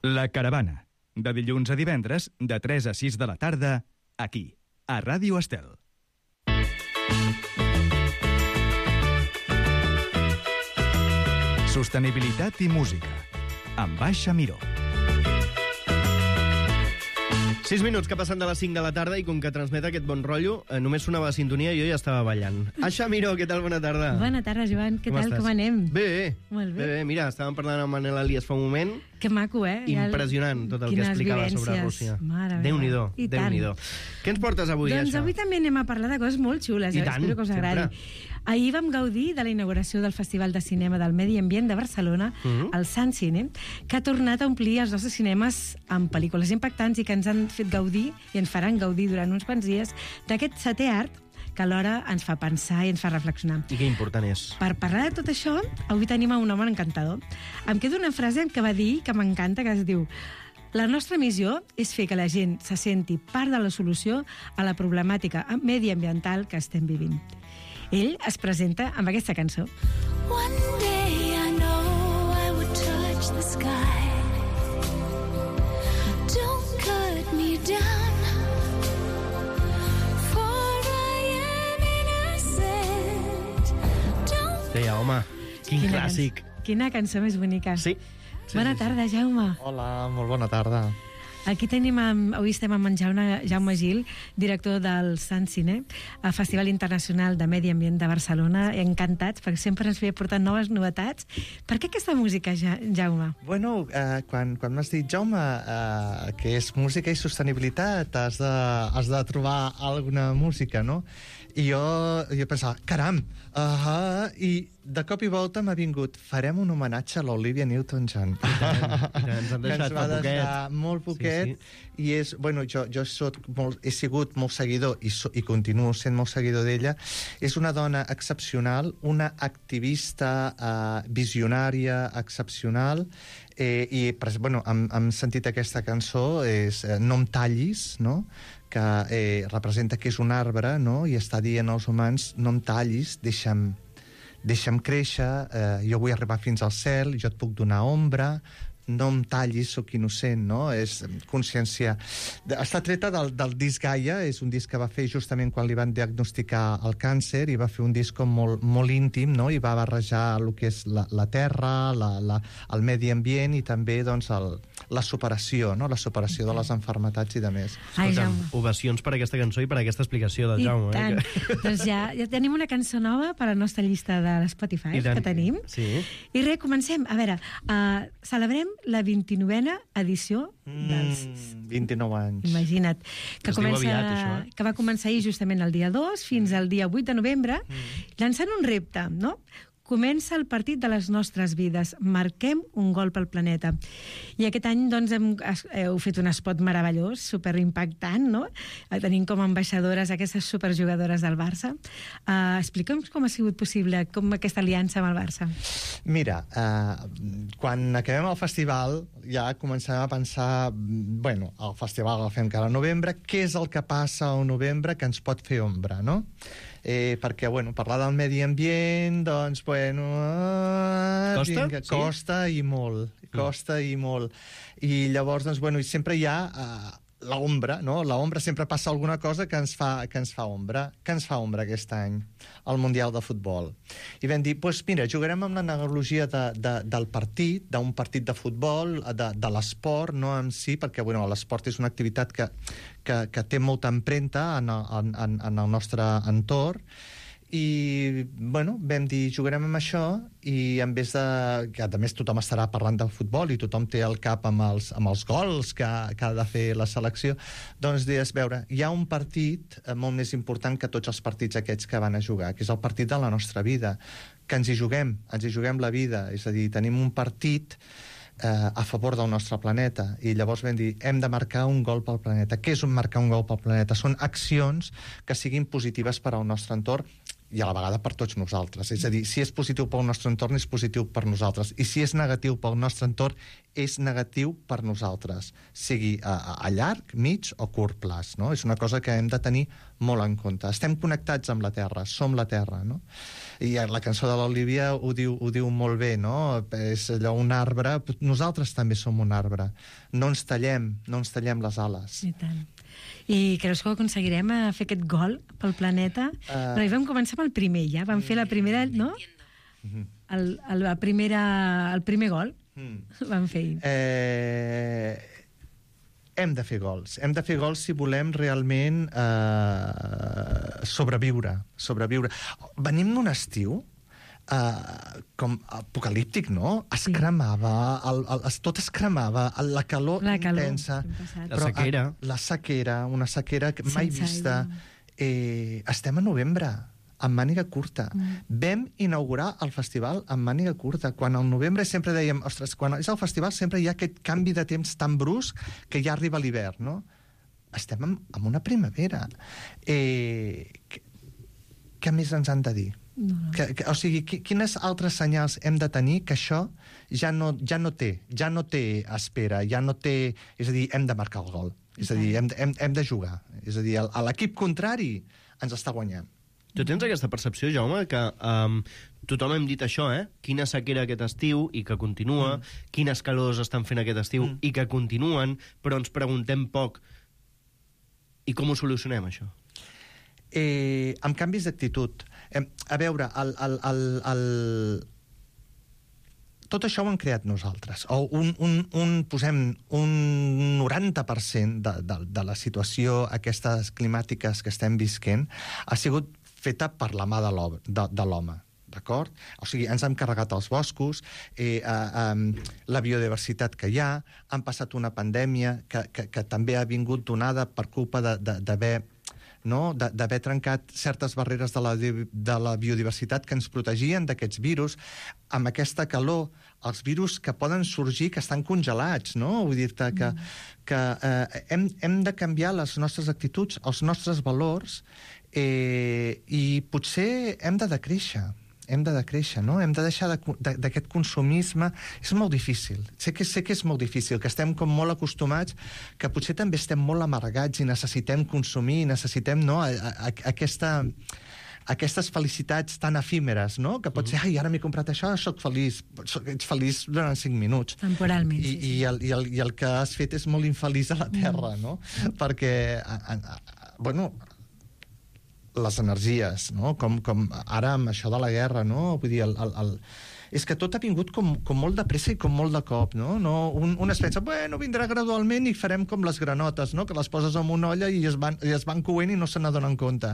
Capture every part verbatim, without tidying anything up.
La Caravana, de dilluns a divendres, de tres a sis de la tarda, aquí, a Ràdio Estel. Sostenibilitat i música, amb Aixa Miró. Sis minuts que passen de les cinc de la tarda i com que transmet aquest bon rotllo, eh, només sonava la sintonia i jo ja estava ballant. Aixa Miró, què tal? Bona tarda. Bona tarda, Joan. Què com tal? estàs? Com anem? Bé, bé. Molt bé. bé, bé. Mira, estàvem parlant amb Manel Elias fa un moment. Que maco, eh? Impressionant tot el que explicava sobre Rússia. Déu-n'hi-do, Déu-n'hi-do. Què ens portes avui, doncs Aixa? Avui també anem a parlar de coses molt xules. I eh? tant, Espero que us agradi. sempre. Ahir vam gaudir de la inauguració del Festival de Cinema del Medi Ambient de Barcelona, Mhm. el Sant Cine, que ha tornat a omplir els nostres cinemes amb pel·lícules impactants i que ens han fet gaudir i ens faran gaudir durant uns quants dies d'aquest setè art que alhora ens fa pensar i ens fa reflexionar. I que important és. Per parlar de tot això, avui tenim a un home encantador. Em quedo una frase que va dir que m'encanta, que es diu: la nostra missió és fer que la gent se senti part de la solució a la problemàtica mediambiental que estem vivint. Ell es presenta amb aquesta cançó. One day I know I would touch the sky. Don't cut me down, for I am innocent. Don't... Deia, home, quin Quina clàssic. Cançó, quina cançó més bonica. Sí. sí Bona sí, tarda, Jaume. Hola, molt bona tarda. Aquí tenim, amb, avui estem amb en Jaume, Jaume Gil, director del Sant Cine, el Festival Internacional de Medi Ambient de Barcelona. Encantats, perquè sempre ens ve portant noves novetats. Per què aquesta música, ja, Jaume? Bueno, eh, quan, quan m'has dit, Jaume, eh, que és música i sostenibilitat, has de, has de trobar alguna música, no? I jo, jo pensava, caram, uh, i de cop i volta m'ha vingut, farem un homenatge a l'Olivia Newton-John. I tant, i tant, ens han que ens deixat va fa poquet. deixar molt poquet, Sí, sí. i és, bueno, jo, jo soc molt, he sigut molt seguidor i, so, i continuo sent molt seguidor d'ella. És una dona excepcional, una activista eh, visionària excepcional, eh, i bueno, hem, hem sentit aquesta cançó, és eh, No em tallis, no?, que eh, representa que és un arbre, no?, i està dient als humans, no em tallis, deixa'm, deixa'm créixer, eh, jo vull arribar fins al cel, jo et puc donar ombra, no em tallis, sóc innocent, no? És consciència. Està treta del, del disc Gaia, és un disc que va fer justament quan li van diagnosticar el càncer, i va fer un disc com molt, molt íntim, no?, i va barrejar el que és la, la terra, la, la, el medi ambient, i també, doncs, el, la superació, no?, la superació de les enfermetats i de més. Ai, Escolta'm, Jaume. ovacions per aquesta cançó i per aquesta explicació del I Jaume. tant. Eh? que- Doncs ja, ja tenim una cançó nova per a la nostra llista de l'Spotify I tant. que tenim. Sí. I res, comencem. A veure, uh, celebrem la vint-i-novena edició dels... Mm, vint-i-nou anys. Imagina't. Que, Es diu comença, aviat, això, eh? que va començar ahir justament el dia dos fins al dia vuit de novembre, llançant un repte, no? Comença el partit de les nostres vides. Marquem un gol pel planeta. I aquest any, doncs, hem, heu fet un spot meravellós, superimpactant, no? Tenim com a ambaixadores aquestes superjugadores del Barça. Uh, Explica'm com ha sigut possible, com aquesta aliança amb el Barça. Mira, eh, quan acabem el festival ja comencem a pensar, bueno, el festival el fem cada novembre, què és el que passa al novembre que ens pot fer ombra, no? Eh, perquè, bueno, parlar del medi ambient, doncs, bueno... Eh, Costa? Vinga, Sí? costa i molt, costa i molt. I llavors, doncs, bueno, i sempre hi ha... Eh, l'ombra, no? L'ombra sempre passa alguna cosa que ens fa, que ens fa ombra. Que ens fa ombra aquest any? El Mundial de Futbol. I vam dir, doncs mira, jugarem amb l'analogia de, de, del partit, d'un partit de futbol, de, de l'esport, no en si, perquè bueno, l'esport és una activitat que, que, que té molta empremta en, en, en, en el nostre entorn, i bueno, vam dir jugarem amb això, i en vez de que a més tothom estarà parlant de futbol i tothom té el cap amb els, amb els gols que, que ha de fer la selecció, doncs deies, veure, hi ha un partit molt més important que tots els partits aquests que van a jugar, que és el partit de la nostra vida, que ens hi juguem, ens hi juguem la vida, és a dir, tenim un partit eh, a favor del nostre planeta, i llavors vam dir, hem de marcar un gol pel planeta. Què és un marcar un gol pel planeta? Són accions que siguin positives per al nostre entorn, i a la vegada per tots nosaltres. És a dir, si és positiu pel nostre entorn, és positiu per nosaltres. I si és negatiu pel nostre entorn, és negatiu per nosaltres, sigui a, a llarg, mig o curt plaç. No? És una cosa que hem de tenir molt en compte. Estem connectats amb la Terra, som la Terra. No? I la cançó de l'Olivia ho diu, ho diu molt bé, no? És allò, un arbre, nosaltres també som un arbre. No ens tallem, no ens tallem les ales. I tant. I creus que ho aconseguirem a fer aquest gol pel planeta? Uh... Però hi vam començar amb el primer, ja. Vam fer la primera, no? El, el, la primera, el primer gol. Mm. Vam fer. Eh, hem de fer gols. Hem de fer gols si volem realment eh, sobreviure. sobreviure. Venim d'un estiu Uh, com apocalíptic, no? Es sí. cremava, el, el, es, tot es cremava, la calor, la calor intensa. La sequera. Uh, la sequera, una sequera que mai Sense vista. Eh, estem a novembre, amb màniga curta. Mm. Vam inaugurar el festival amb màniga curta. Quan al novembre sempre dèiem, ostres, quan és el festival sempre hi ha aquest canvi de temps tan brusc que ja arriba l'hivern, no? Estem en, en una primavera. Eh, què, què més ens han de dir? No, no. Que, que, o sigui, quines altres senyals hem de tenir que això ja no, ja no té, ja no té espera, ja no té... És a dir, hem de marcar el gol. És a dir, hem, hem, hem de jugar. És a dir, l'equip contrari ens està guanyant. Tu tens aquesta percepció, Jaume, que um, tothom hem dit això, eh? Quina sequera aquest estiu i que continua, mm. quines calors estan fent aquest estiu mm. i que continuen, però ens preguntem poc. I com ho solucionem, això? Eh, amb canvis d'actitud. Eh, a veure, el, el, el, el... tot això ho hem creat nosaltres. O un, un, un, posem un noranta per cent de, de, de la situació aquestes climàtiques que estem visquent ha sigut feta per la mà de l'home. D'acord? O sigui, ens hem carregat els boscos, eh, eh, eh, la biodiversitat que hi ha, han passat una pandèmia que, que, que també ha vingut donada per culpa d'haver no? d'haver trencat certes barreres de la, de la biodiversitat que ens protegien d'aquests virus. Amb aquesta calor, els virus que poden sorgir, que estan congelats, no? Vull dir-te que, que eh, hem, hem de canviar les nostres actituds, els nostres valors, eh, i potser hem de decréixer. hem de decréixer, no? Hem de deixar d'aquest consumisme. És molt difícil. Sé que, sé que és molt difícil, que estem com molt acostumats, que potser també estem molt amargats i necessitem consumir, necessitem, no?, a, a, a aquesta... aquestes felicitats tan efímeres, no? Que pot ser, ai, ara m'he comprat això, soc feliç. Soc, ets feliç durant cinc minuts. Temporalment, I, sí, sí. I, el, i, el, I el que has fet és molt infeliç a la Terra, no? Perquè, a, a, a, bueno, les energies, no? Com, com ara amb això de la guerra, no? Vull dir, el... el, el és que tot ha vingut com, com molt de pressa i com molt de cop, no? no un, un es pensa, bueno, vindrà gradualment i farem com les granotes, no? Que les poses en una olla i es van, i es van coent i no se n'adonen compte.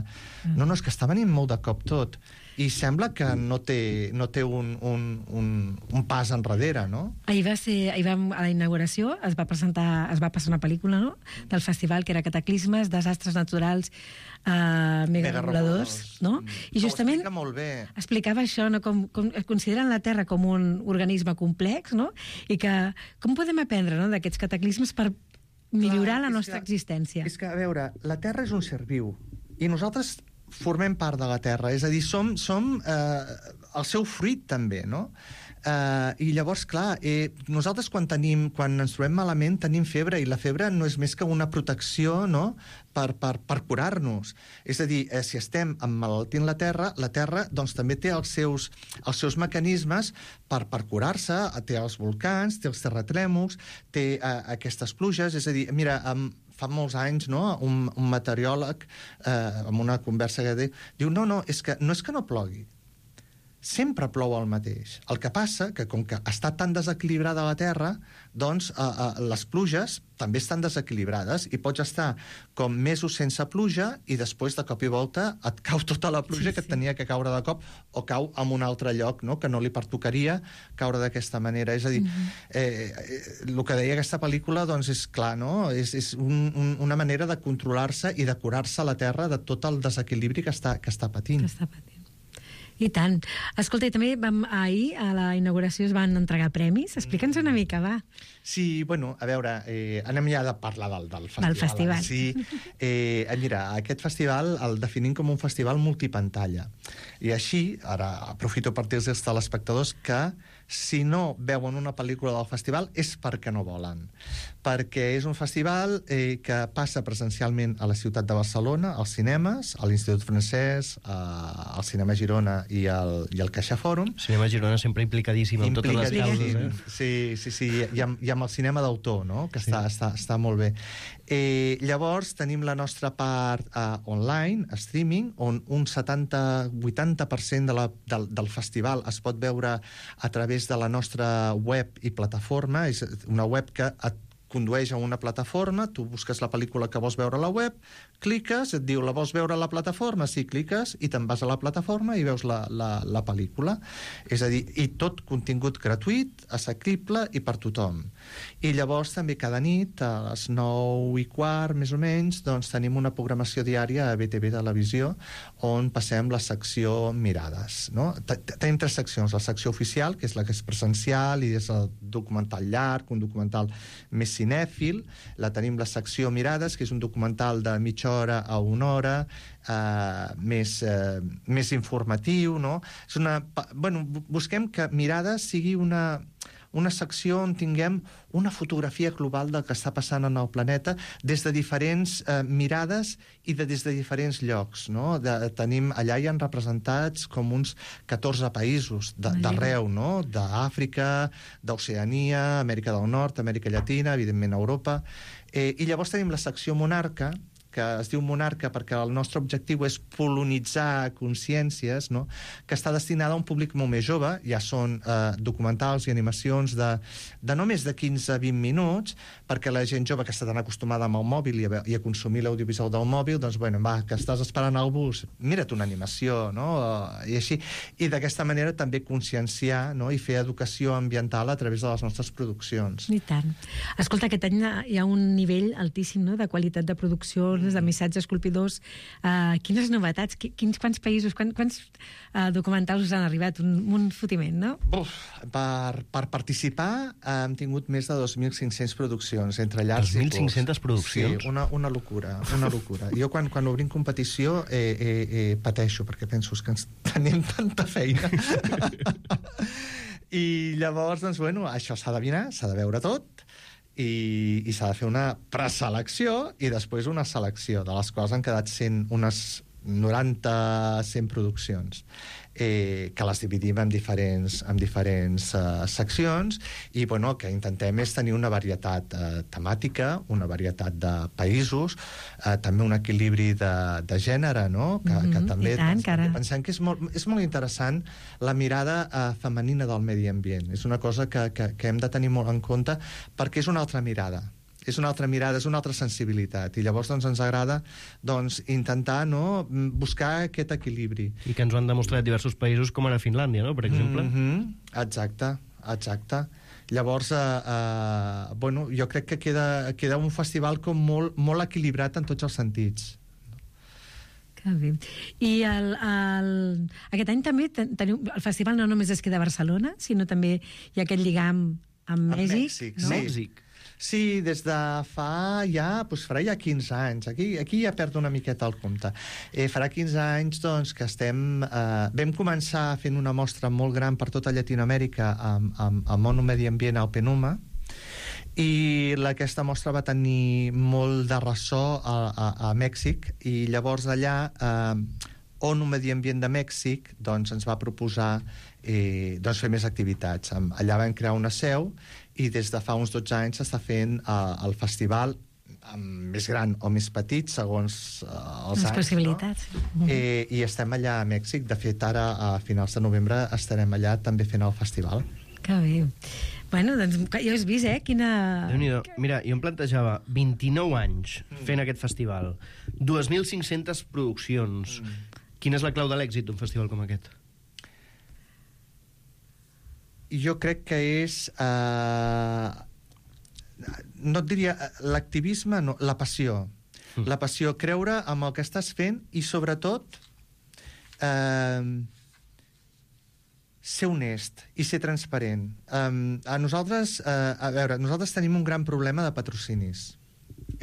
No, no, és que està venint molt de cop tot. I sembla que no té, no té un, un, un, un pas enrere, no? Ahir va ser, ahir vam, a la inauguració es va presentar, es va passar una pel·lícula, no?, del festival, que era Cataclismes, desastres naturals, uh, megareguladors, no? I justament ho explica molt bé. Explicava això, no?, com, com consideren la Terra com un organisme complex, no?, i que com podem aprendre, no?, d'aquests cataclismes per millorar Clar, la nostra que, existència. És que, a veure, la Terra és un ser viu, i nosaltres formem part de la Terra, és a dir, som, som eh, el seu fruit també, no? Eh, I llavors, clar, eh, nosaltres quan tenim, quan ens trobem malament tenim febre, i la febre no és més que una protecció, no?, per, per, per curar-nos. És a dir, eh, si estem emmalaltint la Terra, la Terra doncs també té els seus, els seus mecanismes per, per curar-se, té els volcans, té els terratrèmols, té eh, aquestes pluges, és a dir, mira, amb fa molts anys, no?, un, un meteoròleg, eh, en una conversa que diu, diu, no, no, és que no és que no plogui, sempre plou el mateix. El que passa que, com que està tan desequilibrada la Terra, doncs eh, eh, les pluges també estan desequilibrades i pots estar com mesos sense pluja i després de cop i volta et cau tota la pluja sí, que et tenia que caure de cop o cau en un altre lloc, no?, que no li pertocaria caure d'aquesta manera. És a dir, mm-hmm. eh, el que deia aquesta pel·lícula doncs és clar, no?, és, és un, un, una manera de controlar-se i de curar-se la Terra de tot el desequilibri que està, que està patint. Que està patint. I tant. Escolta, i també vam, ahir a la inauguració es van entregar premis. Explica'ns una mica, va. Sí, bueno, a veure, eh, anem ja de parlar del, del festival. Del festival. Sí, eh, mira, aquest festival el definim com un festival multipantalla. I així, ara aprofito per dir als telespectadors que si no veuen una pel·lícula del festival és perquè no volen. Perquè és un festival eh, que passa presencialment a la ciutat de Barcelona, als cinemes, a l'Institut Francès, a, al Cinema Girona i al, i al Caixa Fòrum. Cinema Girona sempre implicadíssim en totes les causes, eh? Sí, sí, sí, i amb, i amb el cinema d'autor, no? Que sí. està, està, està molt bé. Eh, llavors, tenim la nostra part eh, online, streaming, on un setanta vuitanta per cent de la, del, del festival es pot veure a través de la nostra web i plataforma. És una web que et condueix a una plataforma, tu busques la pel·lícula que vols veure a la web, cliques, et diu, la vols veure a la plataforma? Sí, cliques, i te'n vas a la plataforma i veus la, la, la pel·lícula. És a dir, i tot contingut gratuït, assequible i per tothom. I llavors també cada nit, a les nou i quart, més o menys, doncs tenim una programació diària a B T V Televisió on passem la secció Mirades, no? Tenim tres seccions. La secció oficial, que és la que és presencial i és el documental llarg, un documental més cinèfil. La tenim la secció Mirades, que és un documental de mitja hora a una hora, eh, més, eh, més informatiu, no? És una, bueno, busquem que Mirades sigui una, una secció on tinguem una fotografia global del que està passant en el planeta des de diferents eh, mirades i de, des de diferents llocs, no? De, tenim, allà hi ha representats com uns catorze països d'arreu, no? D'Àfrica, d'Oceania, Amèrica del Nord, Amèrica Llatina, evidentment Europa. Eh, I llavors tenim la secció Monarca, que es diu Monarca perquè el nostre objectiu és polonitzar consciències, no? Que està destinada a un públic molt més jove. Ja són eh, documentals i animacions de, de no més de quinze a vint minuts, perquè la gent jove que està tan acostumada amb el mòbil i a, i a consumir l'audiovisual del mòbil, doncs, bueno, va, que estàs esperant el bus, mira't una animació, no? I així. I d'aquesta manera també conscienciar, no? I fer educació ambiental a través de les nostres produccions. I tant. Escolta, aquest any hi ha un nivell altíssim, no?, de qualitat de producció, de missatges colpidors. Uh, quines novetats, quins, quants països, quants, quants uh, documentals us han arribat? Un, un fotiment, no? Uf, per, per participar hem tingut més de dos mil cinc-cents produccions, entre llars i dos mil cinc-centes produccions? Sí, una, una locura, una locura. Jo quan, quan obrim competició eh, eh, eh, pateixo, perquè penso que ens tenim tanta feina. I llavors, doncs, bueno, això s'ha de mirar, s'ha de veure tot, i, i s'ha de fer una preselecció i després una selecció, de les quals han quedat cent, unes noranta a cent produccions, eh, que les dividim en diferents, en diferents eh, seccions, i bueno, el que intentem és tenir una varietat eh, temàtica, una varietat de països, eh, també un equilibri de, de gènere, no? Que, mm-hmm, que també tant, també pensem que és molt, és molt interessant la mirada eh, femenina del medi ambient. És una cosa que, que, que hem de tenir molt en compte perquè és una altra mirada. És una altra mirada, és una altra sensibilitat, i llavors doncs, ens agrada doncs, intentar, no?, buscar aquest equilibri. I que ens ho han demostrat diversos països, com ara Finlàndia, no?, per exemple. Mm-hmm. Exacte, exacte. Llavors, eh, eh, bueno, jo crec que queda, queda un festival com molt, molt equilibrat en tots els sentits. Que bé. I el, el, aquest any també teniu, el festival no només es queda a Barcelona, sinó també hi ha aquest lligam amb Mèxic. Mèxic, no? sí. Mèxic. Sí, des de fa ja, doncs farà ja quinze anys. Aquí, aquí ja perdo una miqueta el compte. Eh, farà quinze anys doncs, que estem... Eh, vam començar fent una mostra molt gran per tota Llatinoamèrica amb, amb, amb ONU Medi Ambient al Penuma, i la, aquesta mostra va tenir molt de ressò a, a, a Mèxic, i llavors allà eh, ONU Medi Ambient de Mèxic doncs, ens va proposar eh, doncs, fer més activitats. Allà vam crear una seu, i des de fa uns dotze anys s'està fent eh, el festival més gran o més petit, segons eh, els Les anys. possibilitats. No? Eh, I estem allà a Mèxic. De fet, ara, a finals de novembre, estarem allà també fent el festival. Que bé. Bueno, doncs ja has vist, eh? Quina... Déu-n'hi-do. Mira, jo em plantejava vint-i-nou anys fent aquest festival, dos mil cinc-centes produccions. Mm. Quina és la clau de l'èxit d'un festival com aquest? Jo crec que és... Eh, no et diria... L'activisme, no, la passió. Mm. La passió, creure en el que estàs fent i, sobretot, eh, ser honest i ser transparent. Um, a nosaltres, uh, a veure, nosaltres tenim un gran problema de patrocinis.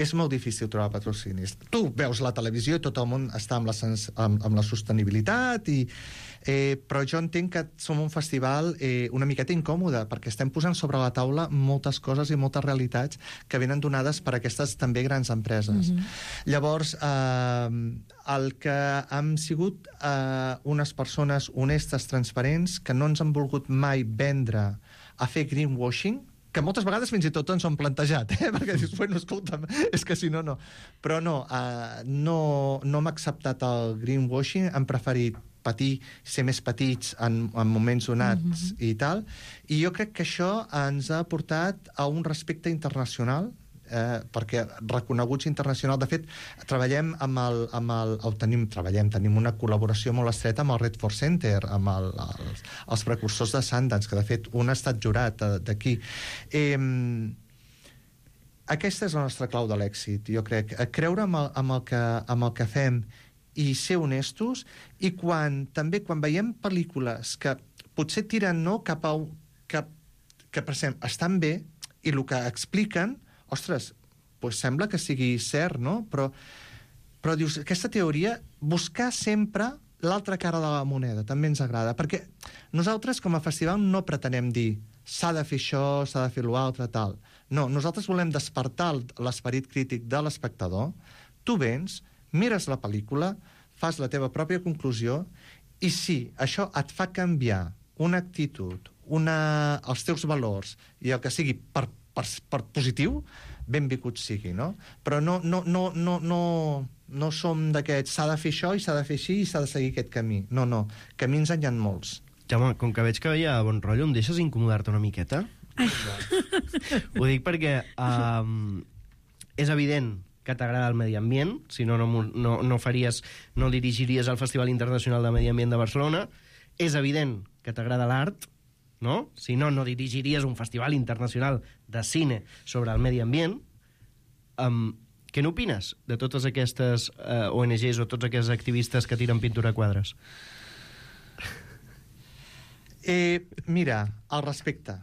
És molt difícil trobar patrocinis. Tu veus la televisió i tot el món està amb la, sens amb, amb la sostenibilitat, i, eh, però jo entenc que som un festival eh, una miqueta incòmode, perquè estem posant sobre la taula moltes coses i moltes realitats que venen donades per aquestes també grans empreses. Mm-hmm. Llavors, eh, el que hem sigut eh, unes persones honestes, transparents, que no ens han volgut mai vendre a fer greenwashing, que moltes vegades fins i tot ens ho han plantejat, eh? Perquè dius, bueno, escolta'm, és que si no, no. Però no, uh, no, no hem acceptat el greenwashing, hem preferit patir, ser més petits en, en moments donats mm-hmm. i tal, i jo crec que això ens ha portat a un respecte internacional, eh, perquè reconeguts internacional. De fet, treballem amb el... Amb el o tenim, treballem, tenim una col·laboració molt estreta amb el Redford Center, amb el, els, els precursors de Sundance, que de fet un ha estat jurat d'aquí. Eh, aquesta és la nostra clau de l'èxit, jo crec. Creure amb el, amb el, que, amb el que fem i ser honestos, i quan, també quan veiem pel·lícules que potser tiren no, cap a... Cap, que, per exemple, estan bé, i el que expliquen, ostres, pues sembla que sigui cert, no? Però, però dius, aquesta teoria, buscar sempre l'altra cara de la moneda, també ens agrada, perquè nosaltres, com a festival, no pretenem dir s'ha de fer això, s'ha de fer l'altre, tal. No, nosaltres volem despertar l'esperit crític de l'espectador. Tu vens, mires la pel·lícula, fas la teva pròpia conclusió, i si això et fa canviar una actitud, una, els teus valors, i el que sigui per, per, per positiu, benvingut sigui, no? Però no, no, no, no, no, no som d'aquests, s'ha de fer això i s'ha de fer així i s'ha de seguir aquest camí. No, no, camins en hi ha molts. Jaume, com que veig que hi ha bon rotllo, em deixes incomodar-te una miqueta? Ho dic perquè um, és evident que t'agrada el medi ambient, si no, no, no, no faries, no dirigiries el Festival Internacional de Medi Ambient de Barcelona. És evident que t'agrada l'art, no? Si no, no dirigiries un festival internacional de cine sobre el medi ambient. Um, què n'opines de totes aquestes uh, O N Ges o tots aquests activistes que tiren pintura a quadres? Eh, mira, el respecte.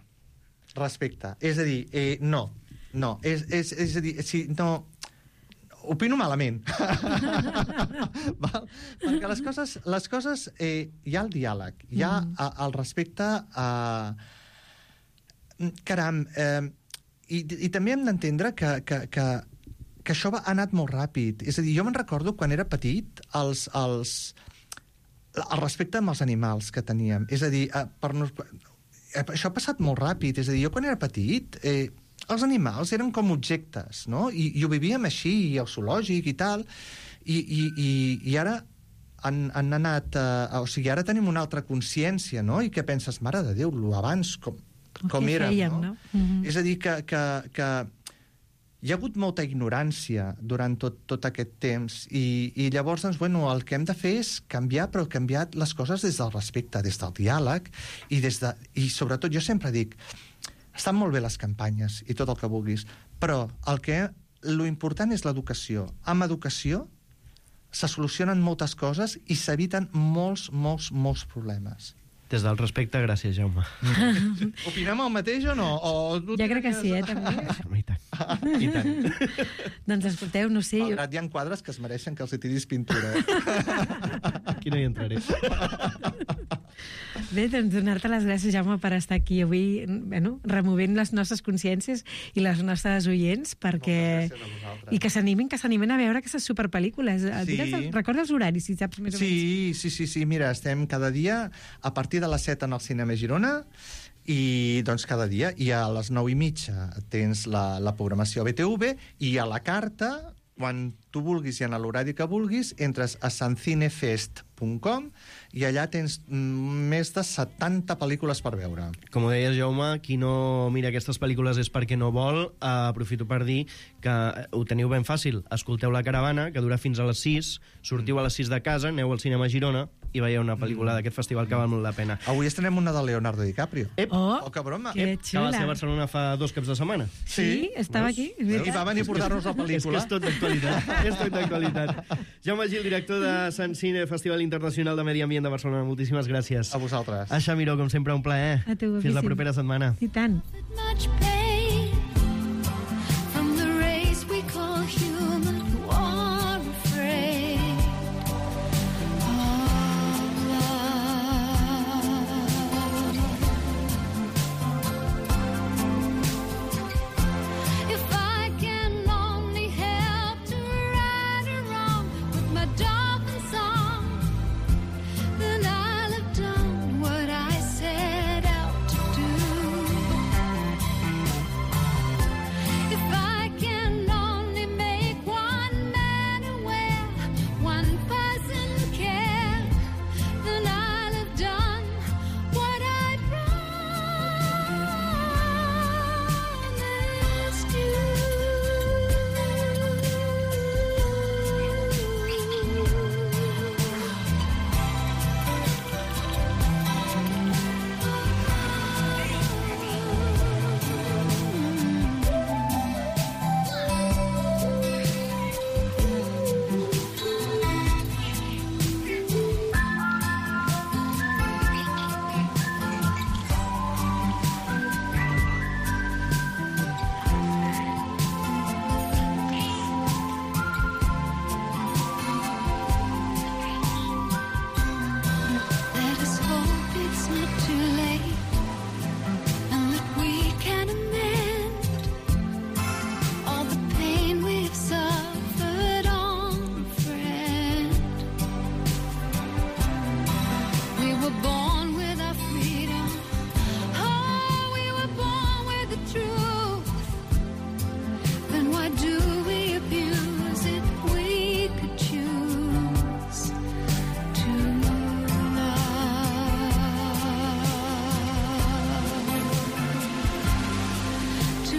Respecte. És a dir, eh, no. No. És, és, és a dir, si no... Opino malament. Val? Perquè les coses... Les coses eh, hi ha el diàleg, hi ha mm. a, el respecte a... Caram, eh, i, i també hem d'entendre que, que, que, que això va, ha anat molt ràpid. És a dir, jo me'n recordo quan era petit els... els el respecte amb els animals que teníem. És a dir, eh, per nos... eh, això ha passat molt ràpid. És a dir, jo quan era petit... Eh, els animals eren com objectes, no? I, i ho vivíem així, i el zoològic i tal, i, i, i, i ara han, han anat... Uh, o sigui, ara tenim una altra consciència, no? I que penses, mare de Déu, lo abans com, com érem, fèiem, no? no? Mm-hmm. És a dir, que, que, que hi ha hagut molta ignorància durant tot, tot aquest temps, i, i llavors, doncs, bueno, el que hem de fer és canviar, però canviar les coses des del respecte, des del diàleg, i, des de, i sobretot, jo sempre dic... Estan molt bé les campanyes i tot el que vulguis, però el que lo important és l'educació. Amb educació se solucionen moltes coses i s'eviten molts, molts, molts problemes. Des del respecte, gràcies, Jaume. Opinem el mateix o no? O jo crec que sí, eh, també. I tant. I tant. Doncs escolteu, no sé... Malgrat hi ha quadres que es mereixen que els hi tiris pintura. Aquí no hi entraré. Bé, doncs donar-te les gràcies, Jaume, per estar aquí avui, bueno, removent les nostres consciències i les nostres oients, perquè... I que s'animin, que s'animin a veure aquestes superpel·lícules. Sí. Recorda els horaris, si saps més o menys. Sí, sí, sí, sí, mira, estem cada dia a partir de les set en el Cinema Girona, i doncs cada dia, i a les nou i mitja tens la, la programació a B T V, i a la carta, quan tu vulguis i en l'horari que vulguis, entres a sancinefest punt com i allà tens més de setanta pel·lícules per veure. Com ho deies, Jaume, qui no mira aquestes pel·lícules és perquè no vol. Uh, aprofito per dir que ho teniu ben fàcil. Escolteu La Caravana, que dura fins a les sis, sortiu a les sis de casa, aneu al Cinema Girona, i veieu una pel·lícula d'aquest festival que val molt la pena. Avui estrenem una de Leonardo DiCaprio. Ep, Oh, Oh, que broma. que que va ser a xula. Barcelona fa dos caps de setmana. Sí, estava Veus? aquí, és I veritat. va venir a portar-nos la És que pel·lícula. és tot d'actualitat. És tot d'actualitat. Jaume Gil, director de Sant Cine, Festival Internacional de Medi Ambient de Barcelona. Moltíssimes gràcies. A vosaltres. Aixa Miró, com sempre, un plaer. A tu, Fins la guapíssim. propera setmana. I tant. Much pain from the race we call human, who are afraid of love. If I can only help to right a wrong with my dolphin song, then I'll have done what I set out to do. If I can only make one man aware, one person care, then I'll have done what I promised Let us hope it's not too late, and that we can amend all the pain we've suffered on, friend. We were born with our freedom. Oh, we were born with the truth. Then why do we abuse it? We could choose to love, to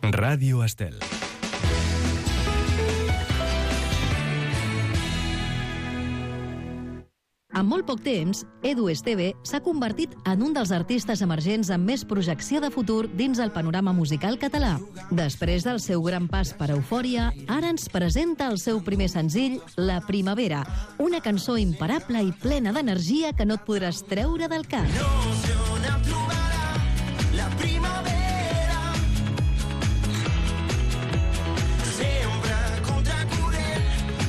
Ràdio Estel. En molt poc temps, Edu Esteve s'ha convertit en un dels artistes emergents amb més projecció de futur dins el panorama musical català. Després del seu gran pas per Eufòria, ara ens presenta el seu primer senzill, La Primavera, una cançó imparable i plena d'energia que no et podràs treure del cap. La primavera sempre contracorrent,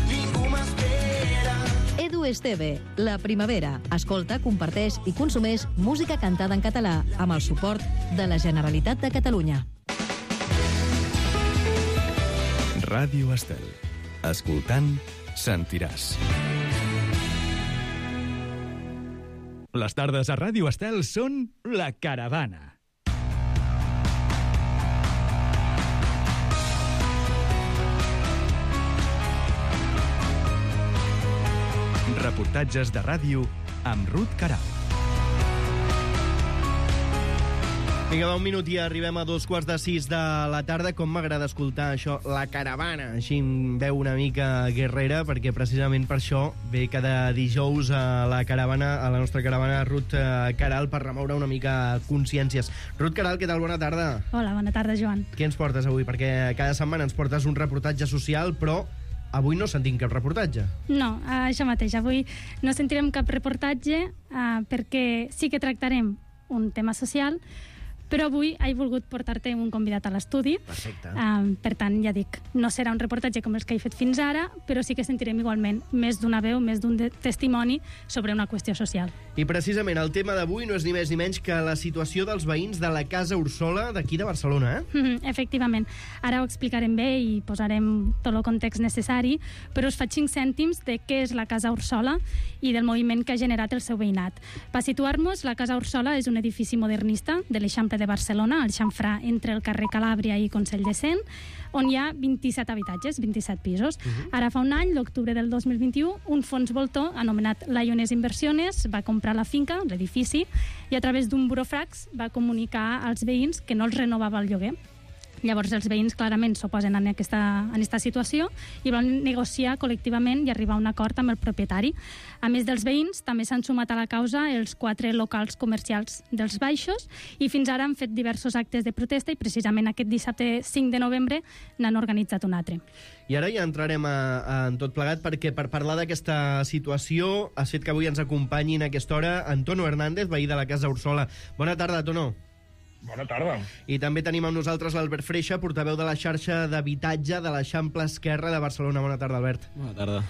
ningú m'espera. Edu Esteve, La Primavera. Escolta, comparteix i consumeix música cantada en català amb el suport de la Generalitat de Catalunya. Ràdio Estel. Escoltant, sentiràs. Les tardes a Ràdio Estel són La Caravana. Reportatges de ràdio amb Ruth Queralt. Vinga, va, un minut i arribem a dos quarts de sis de la tarda. Com m'agrada escoltar això, La Caravana, així em veu una mica guerrera, perquè precisament per això ve cada dijous a la caravana, a la nostra caravana, Ruth Queralt, per remoure una mica consciències. Ruth Queralt, què tal? Bona tarda. Hola, bona tarda, Joan. Què ens portes avui? Perquè cada setmana ens portes un reportatge social, però avui no sentim cap reportatge. No, eh, això mateix. Avui no sentirem cap reportatge eh, perquè sí que tractarem un tema social, Però avui he volgut portar-te un convidat a l'estudi. Perfecte. Um, per tant, ja dic, no serà un reportatge com els que he fet fins ara, però sí que sentirem igualment més d'una veu, més d'un de- testimoni sobre una qüestió social. I precisament el tema d'avui no és ni més ni menys que la situació dels veïns de la Casa Ursola d'aquí de Barcelona, eh? Mhm, efectivament. Ara ho explicarem bé i posarem tot el context necessari, però us faig cinc cèntims de què és la Casa Ursola i del moviment que ha generat el seu veïnat. Per situar-nos, la Casa Ursola és un edifici modernista de l'Eixample de Barcelona, al xamfrà entre el carrer Calàbria i Consell de Cent, on hi ha vint-i-set habitatges, vint-i-set pisos. Uh-huh. Ara fa un any, l'octubre del dos mil vint-i-u, un fons voltor anomenat Lioness Inversiones va comprar la finca, l'edifici, i a través d'un buròfrax va comunicar als veïns que no els renovava el lloguer. Llavors els veïns clarament s'oposen en aquesta, en aquesta situació i van negociar col·lectivament i arribar a un acord amb el propietari. A més dels veïns, també s'han sumat a la causa els quatre locals comercials dels Baixos i fins ara han fet diversos actes de protesta i precisament aquest dissabte cinc de novembre n'han organitzat un altre. I ara ja entrarem a, a, en tot plegat perquè per parlar d'aquesta situació ha fet que avui ens acompanyi en aquesta hora Antonio Hernández, veí de la Casa Ursola. Bona tarda, Tono. Bona tarda. I també tenim amb nosaltres l'Albert Freixa, portaveu de la xarxa d'habitatge de l'Eixample Esquerre de Barcelona. Bona tarda, Albert. Bona tarda.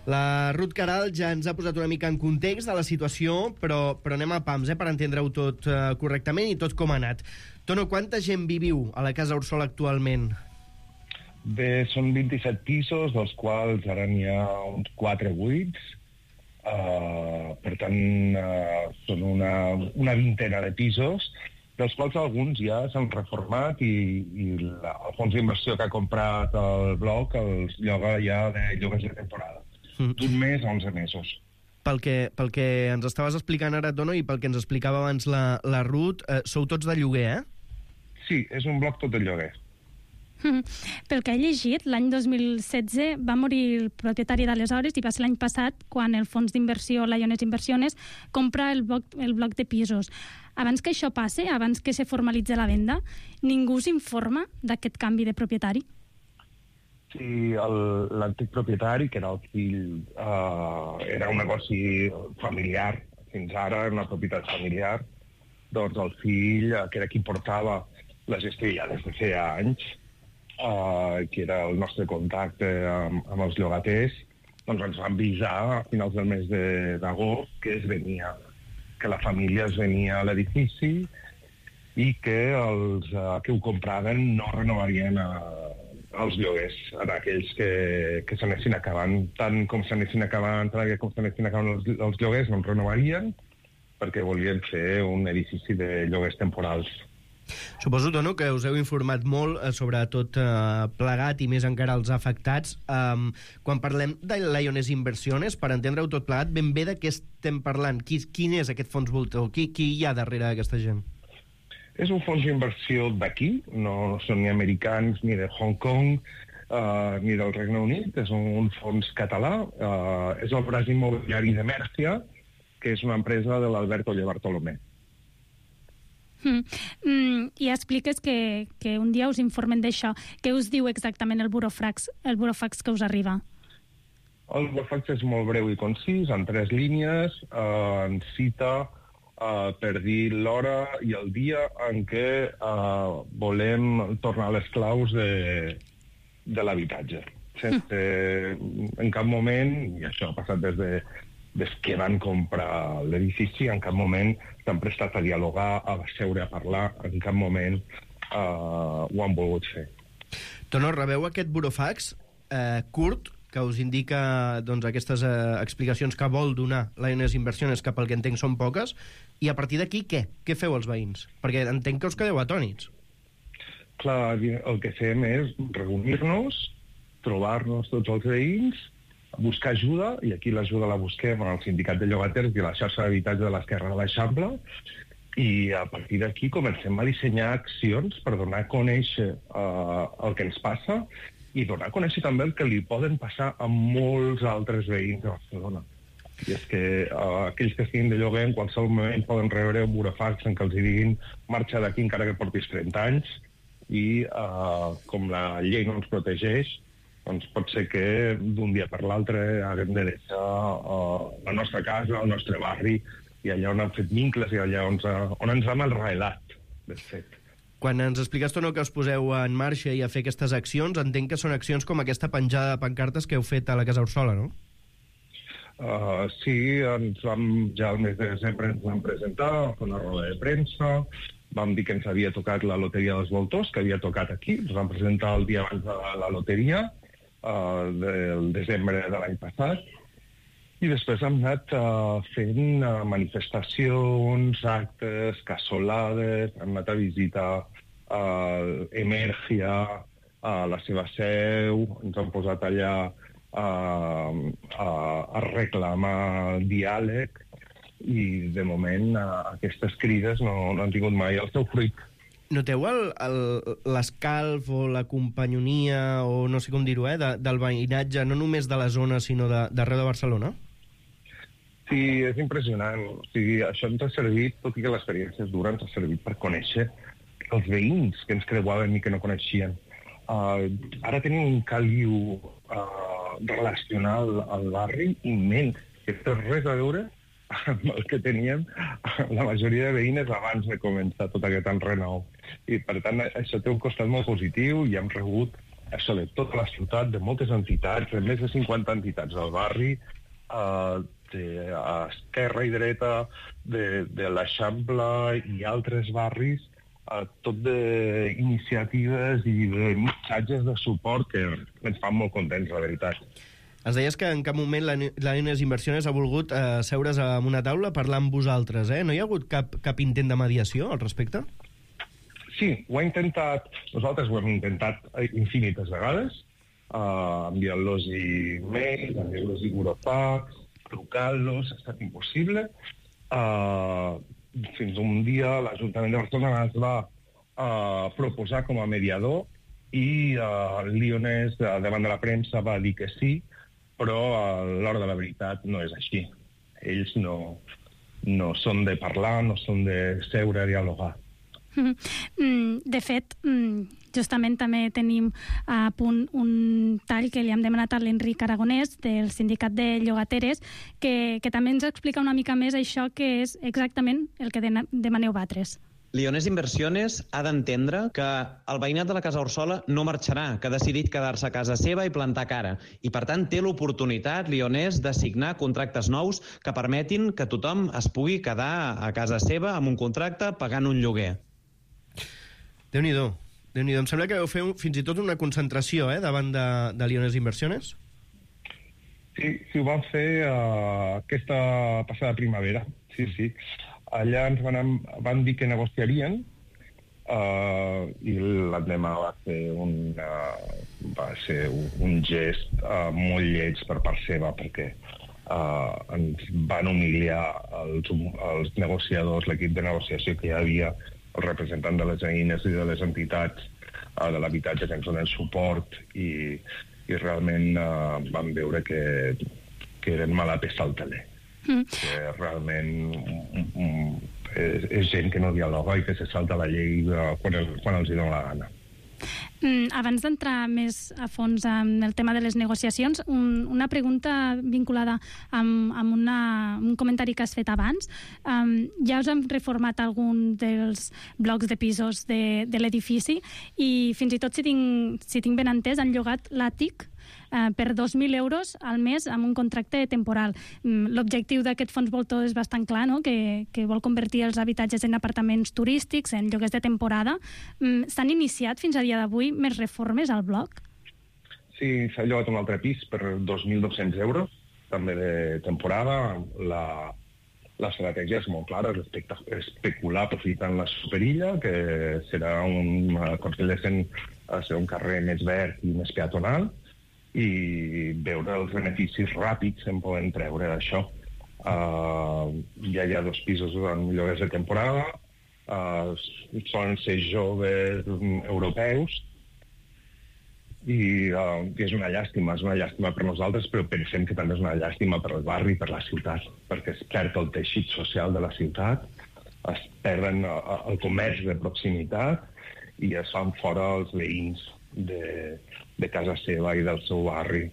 La Ruth Caral ja ens ha posat una mica en context de la situació, però, però anem a pams, eh, per entendre-ho tot eh, correctament i tot com ha anat. Tono, quanta gent viviu a la Casa Ursola actualment? Bé, són vint-i-set pisos, dels quals ara n'hi ha uns quatre buits. Uh, per tant, uh, són una, una vintena de pisos, dels quals alguns ja s'han reformat i, i la, el fons d'inversió que ha comprat el bloc els lloga ja de lloguers de temporada. Mm. D'un mes a onze mesos. Pel que, pel que ens estaves explicant ara, Tono, i pel que ens explicava abans la, la Ruth, eh, sou tots de lloguer, eh? Sí, és un bloc tot de lloguer. Mm. Pel que he llegit, l'any dos mil setze va morir el propietari d'aleshores i va ser l'any passat quan el fons d'inversió Lioness Inversiones compra el bloc, el bloc de pisos. Abans que això passe, abans que se formalitzi la venda, ningú s'informa d'aquest canvi de propietari? Sí, l'antic propietari, que era el fill, uh, era un negoci familiar, fins ara una propietat familiar, doncs el fill, que era qui portava la gestió ja des de feia anys, uh, que era el nostre contacte amb, amb els llogaters, doncs ens van avisar a finals del mes d'agost que es venia, que la família es venia a l'edifici i que els uh, que ho compraven no renovarien uh, els lloguers a aquells que, que s'anessin acabant. Tant com s'anessin acabant, com s'anessin acabant els, els lloguers, no els renovarien perquè volien fer un edifici de lloguers temporals. Suposo, Tono, que us heu informat molt eh, sobre tot eh, plegat i més encara els afectats. Um, quan parlem de Lioness Inversiones, per entendre-ho tot plegat, ben bé de què estem parlant? Qui, quin és aquest fons voltor? Qui, qui hi ha darrere d'aquesta gent? És un fons d'inversió d'aquí, no, no són ni americans, ni de Hong Kong, uh, ni del Regne Unit, és un, un fons català, uh, és el braç immobiliari de Mèrcia, que és una empresa de l'Albert Oller Bartolomé. Mm. Mm, I expliques que, que un dia us informen d'això. Què us diu exactament el burofax, el burofax que us arriba? El burofax és molt breu i concís, en tres línies, eh, en cita eh, per dir l'hora i el dia en què eh, volem tornar les claus de, de l'habitatge. Sense, en cap moment, i això ha passat des de des que van comprar l'edifici, en cap moment s'han prestat a dialogar, a seure a parlar, en cap moment eh, ho han volgut fer. Tono, rebeu aquest burofax eh, curt, que us indica doncs, aquestes eh, explicacions que vol donar Lioness Inversiones, que pel que entenc són poques, i a partir d'aquí què? Què feu els veïns? Perquè entenc que us quedeu atònits. Clar, el que fem és reunir-nos, trobar-nos tots els veïns, buscar ajuda, i aquí l'ajuda la busquem al Sindicat de Llogaters i a la xarxa d'habitatge de l'Esquerra de l'Eixample, i a partir d'aquí comencem a dissenyar accions per donar a conèixer uh, el que ens passa i donar a conèixer també el que li poden passar a molts altres veïns de Barcelona. I és que uh, aquells que estiguin de lloguer en qualsevol moment poden rebre un burofax en què els diguin marxa d'aquí encara que portis trenta anys i uh, com la llei no ens protegeix, doncs pot ser que d'un dia per l'altre haguem de deixar uh, la nostra casa, el nostre barri, i allà on han fet vincles i allà on, on ens hem arrelat. de fet. Quan ens expliques tu no, que us poseu en marxa i a fer aquestes accions, entenc que són accions com aquesta penjada de pancartes que heu fet a la Casa Orsola, no? Uh, sí, ens vam, ja al mes de desembre ens vam presentar, vam fer una roda de premsa, vam dir que ens havia tocat la loteria dels voltors, que havia tocat aquí, ens vam presentar el dia abans de la loteria, uh, del desembre de l'any passat, i després hem anat uh, fent uh, manifestacions, actes, cassolades, hem anat a visitar uh, Emergia, uh, la seva seu, ens hem posat allà uh, a, a reclamar diàleg, i de moment uh, aquestes crides no, no han tingut mai el seu fruit. Noteu l'escalf o la companyonia, o no sé com dir-ho, eh, de, del veïnatge, no només de la zona, sinó d'arreu de, de Barcelona? Sí, és impressionant. O sigui, això ens ha servit, tot i que l'experiència és dura, ens ha servit per conèixer els veïns que ens creuaven i que no coneixien. Uh, ara tenim un caliu uh, relacional al barri immens, que té res a veure amb el que teníem la majoria de veïnes abans de començar tot aquest enrenou. I, per tant, això té un costat molt positiu i hem rebut això de tota la ciutat, de moltes entitats, de més de cinquanta entitats del barri, uh, de, a esquerra i dreta de, de l'Eixample i altres barris, eh, tot d'iniciatives i de missatges de suport que ens fan molt contents, la veritat. Ens deies que en cap moment la, la Lioness Inversiones ha volgut eh, seure's a una taula parlar amb vosaltres, eh? No hi ha hagut cap, cap intent de mediació al respecte? Sí, ho ha intentat, nosaltres ho hem intentat infinites vegades, uh, enviant-los e-mails, enviant-los e-burofax, trucant-los, ha estat impossible. Uh, fins un dia l'Ajuntament de Barcelona es va uh, proposar com a mediador i uh, el Lioness, uh, davant de la premsa, va dir que sí, però a l'hora de la veritat no és així. Ells no, no són de parlar, no són de seure a dialogar. De fet, justament també tenim a punt un tall que li hem demanat a l'Enric Aragonès del Sindicat de Llogateres, que, que també ens explica una mica més això que és exactament el que demaneu vosaltres. Lioness Inversiones ha d'entendre que el veïnat de la Casa Orsola no marxarà, que ha decidit quedar-se a casa seva i plantar cara. I, per tant, té l'oportunitat, Lioness, de signar contractes nous que permetin que tothom es pugui quedar a casa seva amb un contracte pagant un lloguer. Déu-n'hi-do. Déu-n'hi-do. Em sembla que vau fer un, fins i tot una concentració eh, davant de, de Lioness Inversiones. Sí, sí, ho vam fer uh, aquesta passada primavera. Sí, sí. Allà ens van, van dir que negociarien uh, i l'endemà va ser un, uh, va ser un, un gest uh, molt lleig per part seva, perquè uh, ens van humiliar els, els negociadors, l'equip de negociació que hi havia, el representant de les veïnes i de les entitats uh, de l'habitatge que ens donen suport i, i realment uh, vam veure que, que eren mala peça al teler. Mm. Que realment um, um, és, és gent que no dialoga i que se salta la llei uh, quan, el, quan els hi dona la gana. Mm, abans d'entrar més a fons en el tema de les negociacions, un, una pregunta vinculada amb, amb una, un comentari que has fet abans. Um, ja us hem reformat algun dels blocs de pisos de, de l'edifici i fins i tot, si tinc, si tinc ben entès, han llogat l'àtic Uh, per dos mil euros al mes amb un contracte temporal. Um, L'objectiu d'aquest fons voltor és bastant clar, no? que, que vol convertir els habitatges en apartaments turístics, en lloguers de temporada. Um, S'han iniciat fins a dia d'avui més reformes al bloc? Sí, s'ha llogat un altre pis per dos mil dos-cents euros, també de temporada. La, l'estratègia és molt clara, és especular aprofitant la superilla, que serà un, aconsegueixen ser un carrer més verd i més peatonal, i veure els beneficis ràpids en poden treure d'això. Uh, ja hi ha dos pisos en lloguers de temporada, uh, solen ser joves europeus, i, uh, i és una llàstima, és una llàstima per nosaltres, però pensem que també és una llàstima per el barri, per la ciutat, perquè es perd el teixit social de la ciutat, es perden uh, el comerç de proximitat i es fan fora els veïns de, de casa seva i del seu barri,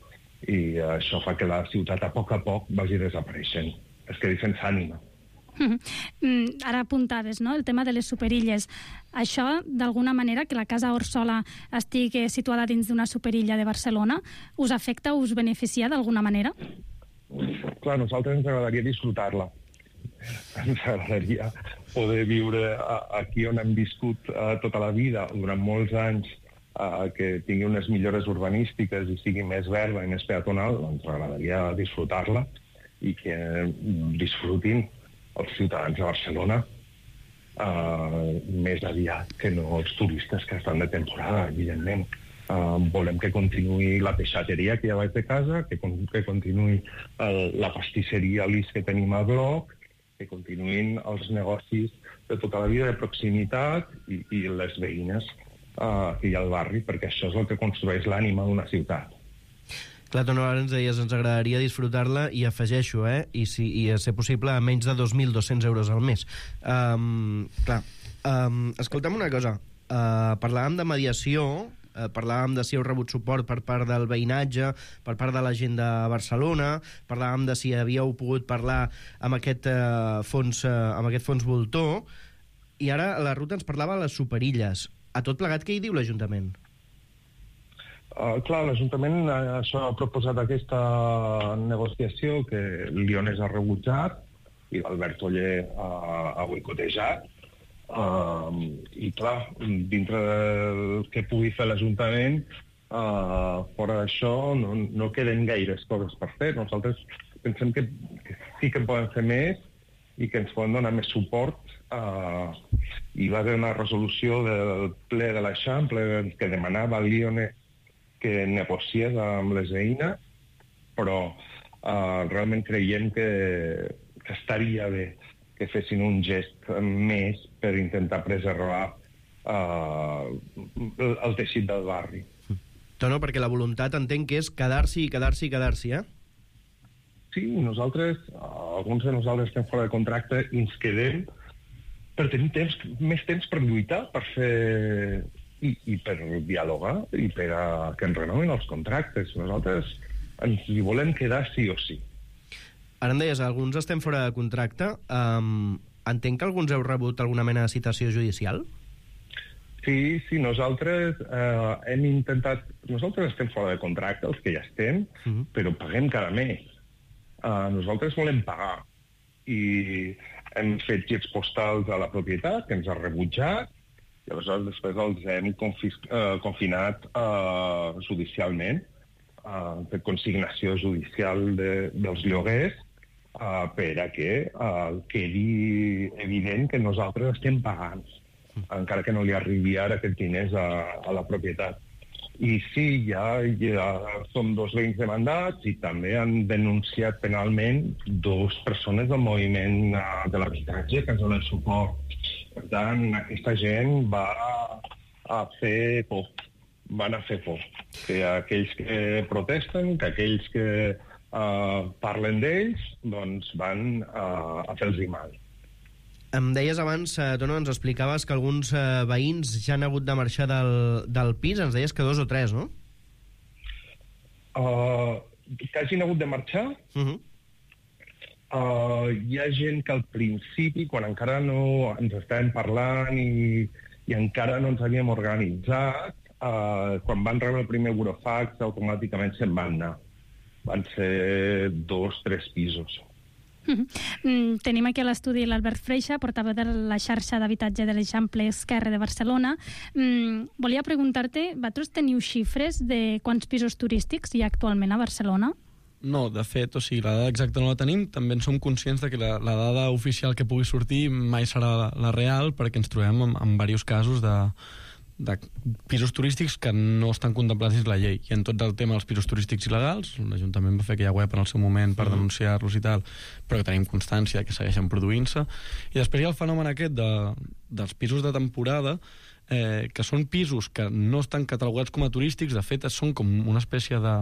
i uh, això fa que la ciutat a poc a poc vagi desapareixent, es quedi sense ànima. Mm, ara apuntaves, no?, el tema de les superilles. Això, d'alguna manera, que la Casa Orsola estigui situada dins d'una superilla de Barcelona, us afecta o us beneficia d'alguna manera? Clar, a nosaltres ens agradaria disfrutar-la. Ens agradaria poder viure aquí on hem viscut uh, tota la vida, durant molts anys, uh, que tingui unes millores urbanístiques i sigui més verda i més peatonal. Ens agradaria disfrutar-la i que disfrutin els ciutadans de Barcelona uh, més aviat que no els turistes que estan de temporada, evidentment. Uh, volem que continuï la peixateria que hi ha baix de casa, que, con que continuï el, la pastisseria Lis que tenim al bloc, que continuïn els negocis de tota la vida de proximitat i, i les veïnes uh, que hi ha al barri, perquè això és el que construeix l'ànima d'una ciutat. Clar, Tono, ara ens deies, ens agradaria disfrutar-la, i afegeixo, eh? I, si, i a ser possible a menys de dos mil dos-cents euros al mes. Um, clar, um, escolta'm una cosa. Uh, parlàvem de mediació, uh, parlàvem de si heu rebut suport per part del veïnatge, per part de la gent de Barcelona, parlàvem de si havíeu pogut parlar amb aquest, uh, fons, uh, amb aquest fons voltor, i ara la Ruth ens parlava de les superilles. A tot plegat, què hi diu l'Ajuntament? Uh, clar, l'Ajuntament uh, això ha proposat aquesta negociació que Lionès ha rebutjat i l'Albert Oller uh, ha boicotejat. Uh, I clar, dintre del que pugui fer l'Ajuntament, uh, fora d'això no, no queden gaires coses per fer. Nosaltres pensem que, que sí que poden fer més i que ens poden donar més suport. Uh, hi va haver una resolució del ple de l'Eixample que demanava al Lionès que negociés amb les veïnes, però uh, realment creiem que, que estaria bé que fessin un gest més per intentar preservar uh, el teixit del barri. Tono, perquè la voluntat entenc que és quedar-s'hi i quedar-s'hi i quedar-s'hi, eh? Sí, nosaltres, uh, alguns de nosaltres estem fora de contracte i ens quedem per tenir temps, més temps per lluitar, per fer... I, i per dialogar i per a que ens renovin els contractes. Nosaltres ens hi volem quedar sí o sí. Ara em deies, alguns estem fora de contracte. Um, entenc que alguns heu rebut alguna mena de citació judicial? Sí, sí, nosaltres eh, hem intentat... Nosaltres estem fora de contracte, els que ja estem, uh-huh. però paguem cada mes. Uh, nosaltres volem pagar. I hem fet gets postals a la propietat, que ens ha rebutjat, i aleshores després els hem uh, confinat uh, judicialment, uh, per consignació judicial de, dels lloguers, uh, per a que uh, quedi evident que nosaltres estem pagant, encara que no li arribi ara aquests diners a, a la propietat. I sí, ja, ja som dos veïns demandats i també han denunciat penalment dues persones del moviment uh, de l'habitatge que ens donen suport. Per tant, aquesta gent va a fer por, van a fer por. Que aquells que protesten, que aquells que uh, parlen d'ells, doncs van uh, a fer-los mal. Em deies abans, eh, Tono, ens explicaves que alguns eh, veïns ja han hagut de marxar del, del pis, ens deies que dos o tres, no? Uh, que hagin hagut de marxar? Uh-huh. Uh, hi ha gent que al principi, quan encara no ens estàvem parlant i, i encara no ens havíem organitzat, uh, quan van rebre el primer burofax, automàticament se'n van anar. Van ser dos, tres pisos. Mm, tenim aquí a l'estudi l'Albert Freixa, portaveu de la xarxa d'habitatge de l'Eixample Esquerre de Barcelona. Mm, volia preguntar-te, vosaltres teniu xifres de quants pisos turístics hi ha actualment a Barcelona? No, de fet, o sigui, la dada exacta no la tenim. També en som conscients de que la, la dada oficial que pugui sortir mai serà la, la real, perquè ens trobem en, en diversos casos de, de pisos turístics que no estan contemplats dins la llei. I en tot el tema dels pisos turístics il·legals, l'Ajuntament va fer aquella web en el seu moment per mm. denunciar-los i tal, però que tenim constància que segueixen produint-se. I després hi ha el fenomen aquest de, dels pisos de temporada, eh, que són pisos que no estan catalogats com a turístics, de fet són com una espècie de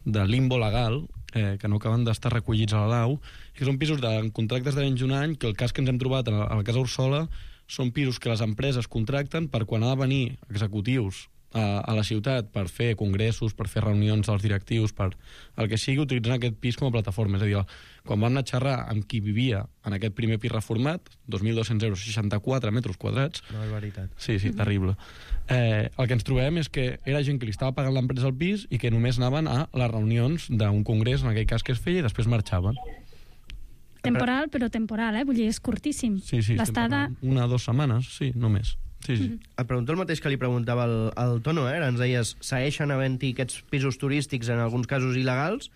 de limbo legal, eh, que no acaben d'estar recollits a la lau, i que són pisos de contractes de menys d'un any, que el cas que ens hem trobat a la, a la Casa Orsola són pisos que les empreses contracten per quan ha de venir executius a, a la ciutat per fer congressos, per fer reunions dels directius, per el que sigui, utilitzant aquest pis com a plataforma. És a dir, quan vam anar a xerrar amb qui vivia en aquest primer pis reformat, dos mil dos-cents euros, seixanta-quatre metres quadrats... No, és veritat. Sí, sí, terrible. Eh, el que ens trobem és que era gent que li estava pagant l'empresa al pis i que només anaven a les reunions d'un congrés, en aquell cas que es feia, i després marxaven. Temporal, però temporal, eh? Vull dir, és curtíssim. Sí, sí, l'estada... Una o dues setmanes, sí, només. Sí, sí. Mm-hmm. Et pregunto el mateix que li preguntava al, al Tono, eh? Ens deies, segueixen havent-hi aquests pisos turístics, en alguns casos il·legals,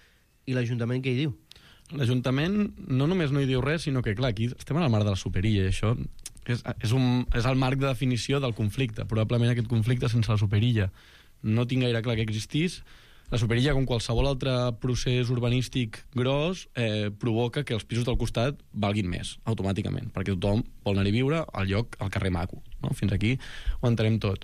i l'Ajuntament què hi diu? L'Ajuntament no només no hi diu res, sinó que, clar, aquí estem en el marc de la superilla, i això és, és, un, és el marc de definició del conflicte. Probablement aquest conflicte sense la superilla no tinc gaire clar que existís. La superilla, com qualsevol altre procés urbanístic gros, eh, provoca que els pisos del costat valguin més, automàticament, perquè tothom vol anar-hi viure al lloc, al carrer maco. No? Fins aquí ho entenem tot.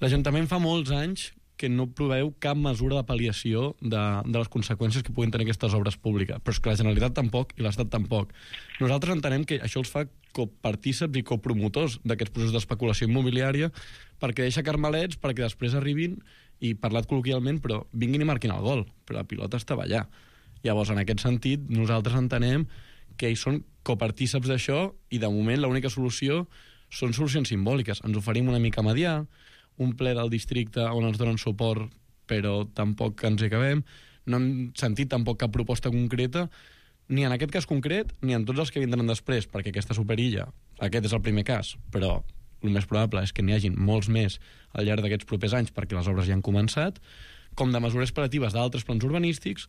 L'Ajuntament fa molts anys que no proveu cap mesura de pal·liació de, de les conseqüències que puguin tenir aquestes obres públiques, però és que la Generalitat tampoc i l'Estat tampoc. Nosaltres entenem que això els fa copartíceps i copromotors d'aquests processos d'especulació immobiliària, perquè deixa carmelets perquè després arribin i, parlat col·loquialment, però vinguin i marquin el gol, però la pilota estava allà. Llavors, en aquest sentit, nosaltres entenem que ells són copartíceps d'això i, de moment, l'única solució són solucions simbòliques. Ens oferim una mica a mediar, un ple del districte on ens donen suport, però tampoc ens hi acabem. No hem sentit tampoc cap proposta concreta, ni en aquest cas concret, ni en tots els que vindran després, perquè aquesta superilla, aquest és el primer cas, però el més probable és que n'hi hagin molts més al llarg d'aquests propers anys, perquè les obres ja han començat, com de mesures operatives d'altres plans urbanístics.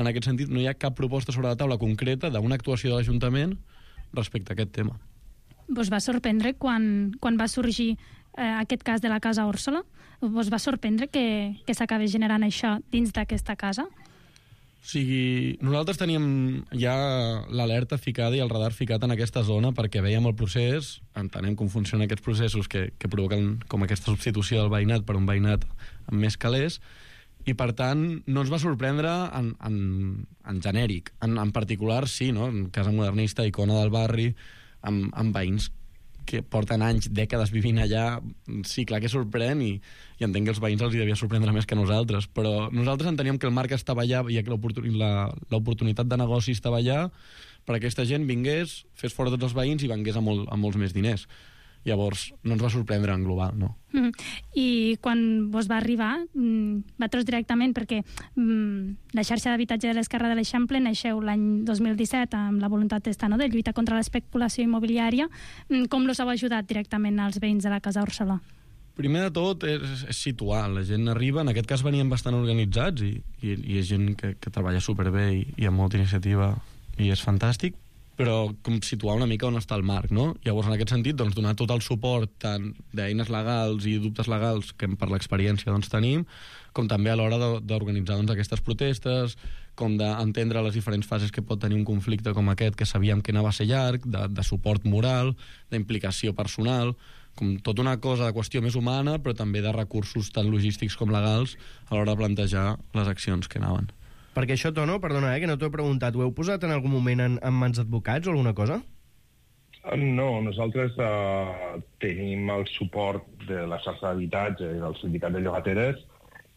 En aquest sentit, no hi ha cap proposta sobre la taula concreta d'una actuació de l'Ajuntament respecte a aquest tema. Vos va sorprendre quan, quan va sorgir eh, aquest cas de la Casa Òrsola? Vos va sorprendre que, que s'acabi generant això dins d'aquesta casa? O sigui, nosaltres teníem ja l'alerta ficada i el radar ficat en aquesta zona perquè veiem el procés, entenem com funcionen aquests processos que, que provoquen com aquesta substitució del veïnat per un veïnat amb més calés, i per tant no ens va sorprendre en, en, en genèric. En, en particular, sí, no? En casa modernista, icona del barri, amb, amb veïns que porten anys, dècades vivint allà, sí, clar que sorprèn, i, i entenc que els veïns els hi devia sorprendre més que nosaltres, però nosaltres enteníem que el marc estava allà i que l'oportunitat de negoci estava allà perquè aquesta gent vingués, fes fora tots els veïns i vengués amb, molt, amb molts més diners. Llavors, no ens va sorprendre en global, no. Mm. I quan vos va arribar, mm, vosaltres directament, perquè mm, la xarxa d'habitatge de l'Esquerra de l'Eixample naixeu l'any dos mil disset amb la voluntat d'estar, no?, de lluita contra l'especulació immobiliària. Mm, com los heu ajudat directament als veïns de la Casa Òrsola? Primer de tot és, és situar. La gent arriba, en aquest cas venien bastant organitzats i, i, i és gent que, que treballa superbé i, i amb molta iniciativa i és fantàstic, però com situar una mica on està el marc, no? Llavors, en aquest sentit, doncs, donar tot el suport tant d'eines legals i dubtes legals que per l'experiència doncs, tenim, com també a l'hora d'organitzar doncs, aquestes protestes, com d'entendre les diferents fases que pot tenir un conflicte com aquest, que sabíem que anava a ser llarg, de, de suport moral, d'implicació personal, com tota una cosa de qüestió més humana, però també de recursos tant logístics com legals a l'hora de plantejar les accions que anaven. Perquè això, Tono, perdona, eh, que no t'ho he preguntat, ho heu posat en algun moment en, en mans d'advocats o alguna cosa? No, nosaltres uh, tenim el suport de la xarxa d'habitatge i del sindicat de llogateres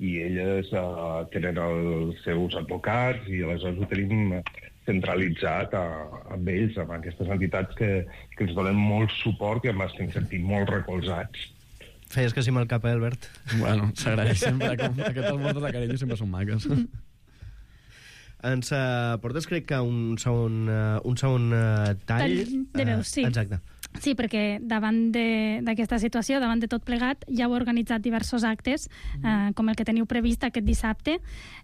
i elles uh, tenen els seus advocats i aleshores ho tenim centralitzat uh, amb ells, amb aquestes entitats que, que ens donen molt suport i amb els que ens sentim molt recolzats. Feies que sí amb el cap, eh, Albert? Bueno, s'agraeix sempre, com aquestes moltes de carinyo sempre són maques. Ens uh, portes, crec que, un segon, uh, un segon uh, tall... Tall de veus, sí. Uh, exacte. Sí, perquè davant d'aquesta situació, davant de tot plegat, ja heu organitzat diversos actes, eh, com el que teniu previst aquest dissabte.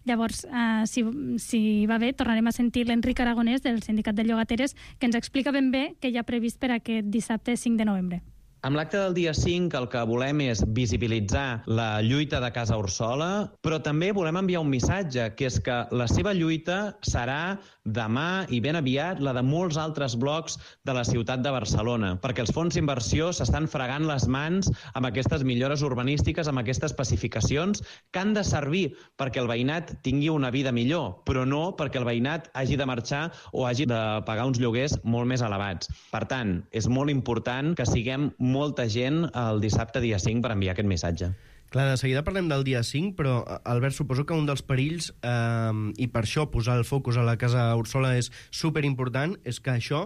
Llavors, eh, si, si va bé, tornarem a sentir l'Enric Aragonès del Sindicat de Llogateres, que ens explica ben bé què hi ha previst per aquest dissabte cinc de novembre. Amb l'acte del dia cinc el que volem és visibilitzar la lluita de Casa Òrsola, però també volem enviar un missatge, que és que la seva lluita serà demà i ben aviat la de molts altres blocs de la ciutat de Barcelona, perquè els fons d'inversió s'estan fregant les mans amb aquestes millores urbanístiques, amb aquestes pacificacions que han de servir perquè el veïnat tingui una vida millor, però no perquè el veïnat hagi de marxar o hagi de pagar uns lloguers molt més elevats. Per tant, és molt important que siguem molta gent el dissabte dia cinc per enviar aquest missatge. Clar, de seguida parlem del dia cinc, però, Albert, suposo que un dels perills, eh, i per això posar el focus a la Casa Úrsula és superimportant, és que això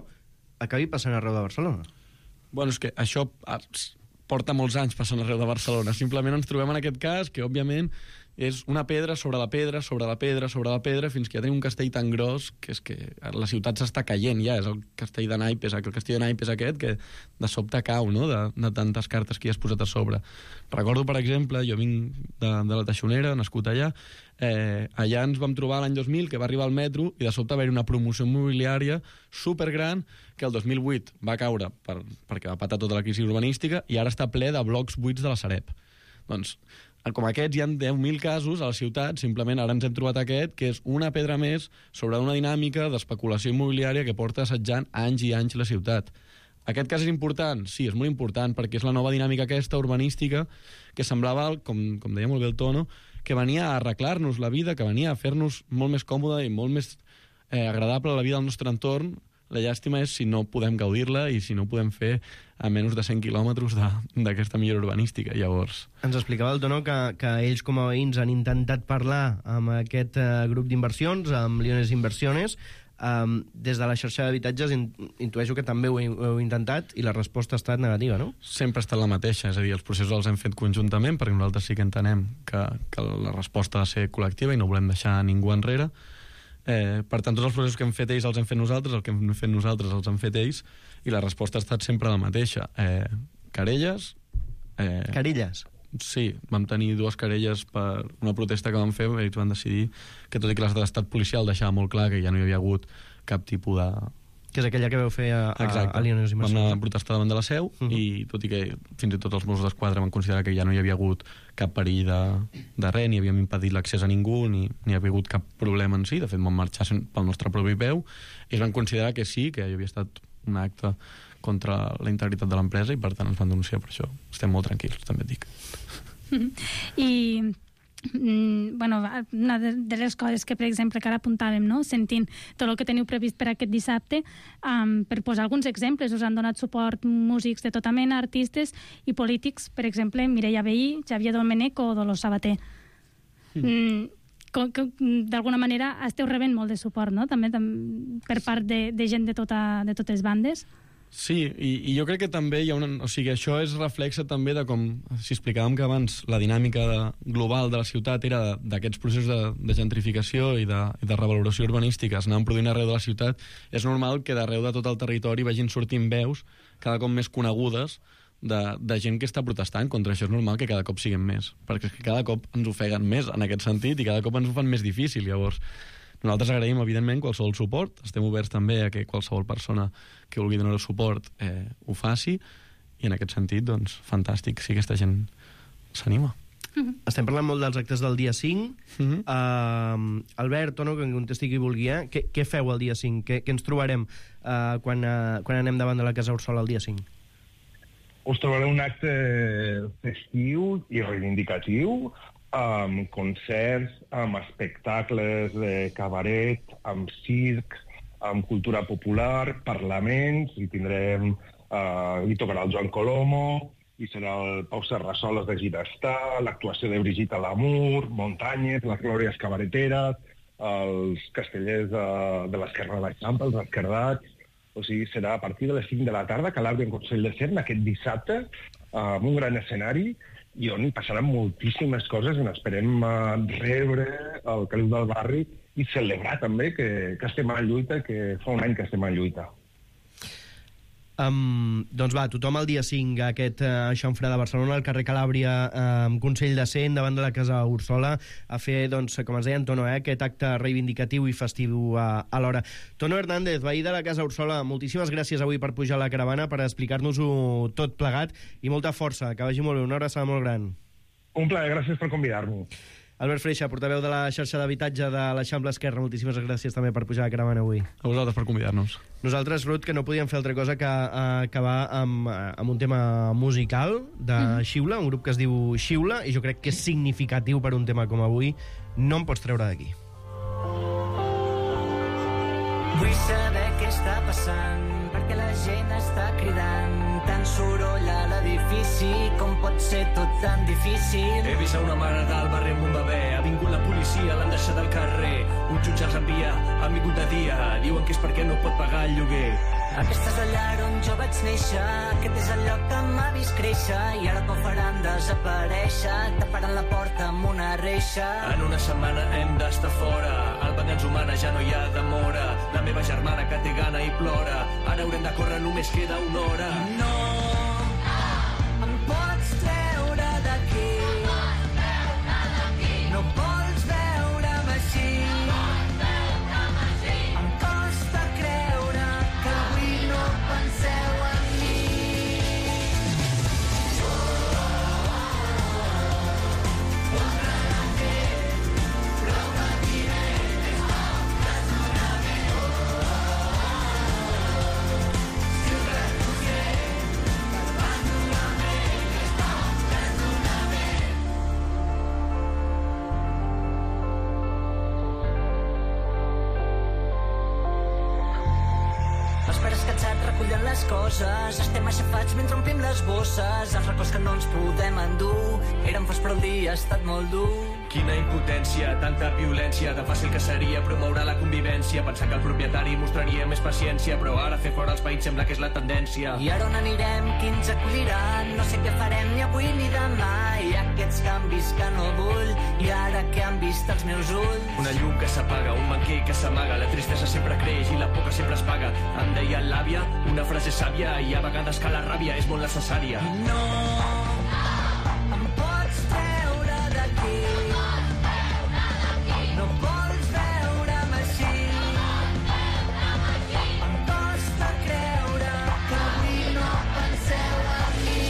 acabi passant arreu de Barcelona. Bueno, és que això porta molts anys passant arreu de Barcelona. Simplement ens trobem en aquest cas que, òbviament, és una pedra sobre la pedra, sobre la pedra, sobre la pedra, fins que ja tenim un castell tan gros que és que la ciutat s'està caient ja. És el castell de naipes, el castell de naipes aquest, que de sobte cau, no?, de, de tantes cartes que hi has posat a sobre. Recordo, per exemple, jo vinc de, de la Teixonera, nascut allà, eh, allà ens vam trobar l'any dos mil, que va arribar al metro, i de sobte va haver una promoció immobiliària supergran, que el dos mil vuit va caure per, perquè va patar tota la crisi urbanística, i ara està ple de blocs buits de la Sareb. Doncs, com aquests, hi ha deu mil casos a la ciutat, simplement ara ens hem trobat aquest, que és una pedra més sobre una dinàmica d'especulació immobiliària que porta assetjant anys i anys la ciutat. Aquest cas és important? Sí, és molt important, perquè és la nova dinàmica aquesta urbanística que semblava, com, com deia molt bé el Tono, que venia a arreglar-nos la vida, que venia a fer-nos molt més còmode i molt més eh, agradable la vida del nostre entorn. La llàstima és si no podem gaudir-la i si no podem fer a menys de cent quilòmetres d'aquesta millora urbanística. Llavors... Ens explicava el Tono que, que ells com a veïns han intentat parlar amb aquest uh, grup d'inversions, amb Liones Inversiones. Um, des de la xarxa d'habitatges in, intueixo que també ho, ho heu intentat i la resposta ha estat negativa, no? Sempre ha estat la mateixa, és a dir, els processos els hem fet conjuntament perquè nosaltres sí que entenem que, que la resposta ha de ser col·lectiva i no volem deixar ningú enrere. Eh, per tant, tots els processos que hem fet ells els hem fet nosaltres, el que hem fet nosaltres els han fet ells, i la resposta ha estat sempre la mateixa. Eh, querelles... Eh, querelles? Sí, vam tenir dues querelles per una protesta que vam fer, i ells van decidir que, tot i que l'estat policial deixava molt clar que ja no hi havia hagut cap tipus de... Que és aquella que veu fer a, a, a Liones Inversions. Vam anar a protestar davant de la seu, uh -huh. i tot i que fins i tot els Mossos d'Esquadra van considerar que ja no hi havia hagut cap perill de, de res, ni havíem impedit l'accés a ningú, ni, ni havia hagut cap problema en si, de fet vam marxar pel nostre propi peu, i es van considerar que sí, que hi havia estat un acte contra la integritat de l'empresa, i per tant ens van denunciar per això. Estem molt tranquils, també et dic. I... Mm, bueno, una de les coses que, per exemple, que ara apuntàvem, no? Sentint tot el que teniu previst per aquest dissabte, um, per posar alguns exemples, us han donat suport músics de tota mena, artistes i polítics, per exemple, Mireia Vehí, Xavier Domènech o Dolors Sabater. Mm. Mm, d'alguna manera esteu rebent molt de suport, no? També tam per part de, de gent de, tota, de totes bandes. Sí, i, i jo crec que també hi ha una... O sigui, això és reflexe també de com, si explicàvem que abans la dinàmica de, global de la ciutat era d'aquests processos de, de gentrificació i de, i de revaloració urbanística, es anaven produint arreu de la ciutat, és normal que d'arreu de tot el territori vagin sortint veus cada cop més conegudes de, de gent que està protestant contra això. És normal que cada cop siguin més, perquè cada cop ens ofeguen més en aquest sentit i cada cop ens ho fan més difícil. Llavors, nosaltres agraïm, evidentment, qualsevol suport. Estem oberts també a que qualsevol persona que vulgui donar el suport eh, ho faci, i en aquest sentit, doncs, fantàstic si aquesta gent s'anima. Uh-huh. Estem parlant molt dels actes del dia cinc. Uh-huh. uh, Albert, Tono, que em contesti qui vulgui, eh? Què, què feu el dia cinc? Què, què ens trobarem uh, quan, uh, quan anem davant de la Casa Úrsula el dia cinc? Us trobareu un acte festiu i reivindicatiu, amb concerts, amb espectacles de cabaret, amb circ, amb cultura popular, parlaments, i tindrem... Uh, hi tocarà el Joan Colomo, i serà el Pau Serrasoles de Ginestar, l'actuació de Brigitte Lamour, Muntanyes, les Glòries Cabareteres, els castellers de, de l'Esquerra de l'Eixample, els esquerdats. O sigui, serà a partir de les cinc de la tarda que l'Arbi en Consell de Cent, aquest dissabte, uh, amb un gran escenari, i on hi passaran moltíssimes coses, i esperem uh, rebre el caliu del barri i celebrar també que, que estem en lluita, que fa un any que estem en lluita. Um, doncs va, tothom el dia cinc a aquest uh, xamfrà de Barcelona, al carrer Calàbria, amb um, Consell de Cent, davant de la Casa Úrsula, a fer, doncs, com ens deia en Tono, eh, aquest acte reivindicatiu i festiu uh, alhora. Tono Hernández, veí de la Casa Úrsula, moltíssimes gràcies avui per pujar a la caravana, per explicar-nos-ho tot plegat, i molta força, que vagi molt bé, una abraçada molt gran. Un plaer, gràcies per convidar-me. Albert Freixa, portaveu de la xarxa d'habitatge de l'Eixample Esquerra, moltíssimes gràcies també per pujar a la caravana avui. A vosaltres per convidar-nos. Nosaltres, Ruth, que no podíem fer altra cosa que uh, acabar amb, uh, amb un tema musical de mm. Xiula, un grup que es diu Xiula, i jo crec que és significatiu per un tema com avui. No em pots treure d'aquí. Vull saber què està passant, perquè la gent està cridant. Tant soroll a l'edifici, com pot ser tot tan difícil. He vist a una mare del barri amb un bebè. Ha vingut la policia, l'han deixat al carrer. Un jutge els envia, han vingut de dia. Diuen que és perquè no pot pagar el lloguer. Aquesta és la llar on jo vaig néixer, aquest és el lloc que m'ha vist créixer, i ara que ho faran desaparèixer, taparan la porta amb una reixa. En una setmana hem d'estar fora, al banc ens humana ja no hi ha demora. La meva germana que té gana i plora, ara haurem de córrer, només queda una hora. No, em pots treure d'aquí, no vols veure'm així. Em costa creure que avui no penseu en mi. Els pares cansats recullen les coses, estem aixafats mentre omplim les bosses. Els records que no ens podem endur eren forts però el dia ha estat molt dur. Quina impotència, tanta violència, de fàcil que seria promoure la convivència, pensar que el propietari mostraria més paciència, però ara fer fora els veïns sembla que és la tendència. I ara on anirem, qui ens acollirà? No sé què farem ni avui ni demà. Hi ha aquests canvis que no vull, i ara que han vist els meus ulls. Una llum que s'apaga, un banquer que s'amaga, la tristesa sempre creix i la por que sempre es paga. Em deia l'àvia, una frase sàvia, i a vegades que la ràbia és molt necessària. No, em pots treure d'aquí, no vols veure'm així. Em costa creure que avui no penseu en mi.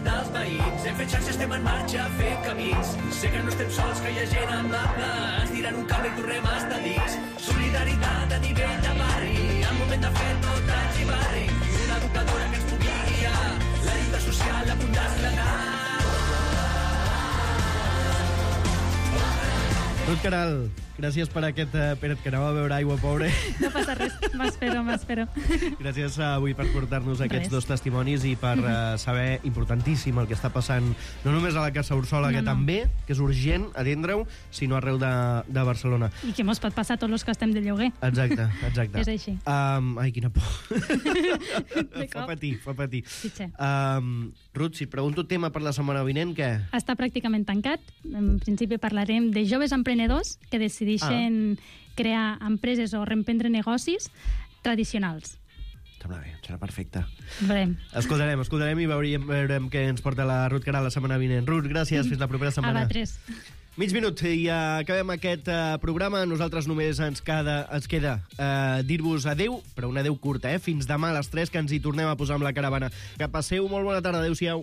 Dels veïns, hem fet xarxa, estem en marxa fent camins. Sé que no estem sols, que hi ha gent amable, ens tiren un cable i tornem a estar dins. Solidaritat a nivell de barri, el moment de fer tot el xivarri, una educadora que ens pugui guiar, la lluita social a punt d'esclatar. Ruth Caral, gràcies per aquest... Uh, espera't, que anava a veure aigua, pobre. No passa res, m'espero, m'espero. Gràcies uh, avui per portar-nos aquests Res. dos testimonis i per uh, saber importantíssim el que està passant, no només a la Casa Ursola, No, que no. també, que és urgent atendre-ho, sinó arreu de, de Barcelona. I que mos pot passar a tots els que estem de lloguer. Exacte, exacte. És així. Um, ai, quina por. De fa cop. patir, fa patir. Fitxa. Um, Ruth, si et pregunto tema per la setmana vinent, què? Està pràcticament tancat. En principi parlarem de joves emprenedors que decideixen ah. crear empreses o reemprendre negocis tradicionals. Sembla bé, serà perfecte. Veurem. Escoltarem, escoltarem i veurem, veurem què ens porta la Ruth Caral la setmana vinent. Ruth, gràcies, fins la propera setmana. A vosaltres. Mig minut i uh, acabem aquest uh, programa. Nosaltres només ens, cada, ens queda uh, dir-vos adeu, però un adeu curta, eh? Fins demà a les tres, que ens hi tornem a posar amb la caravana. Que passeu molt bona tarda. Adéu-siau.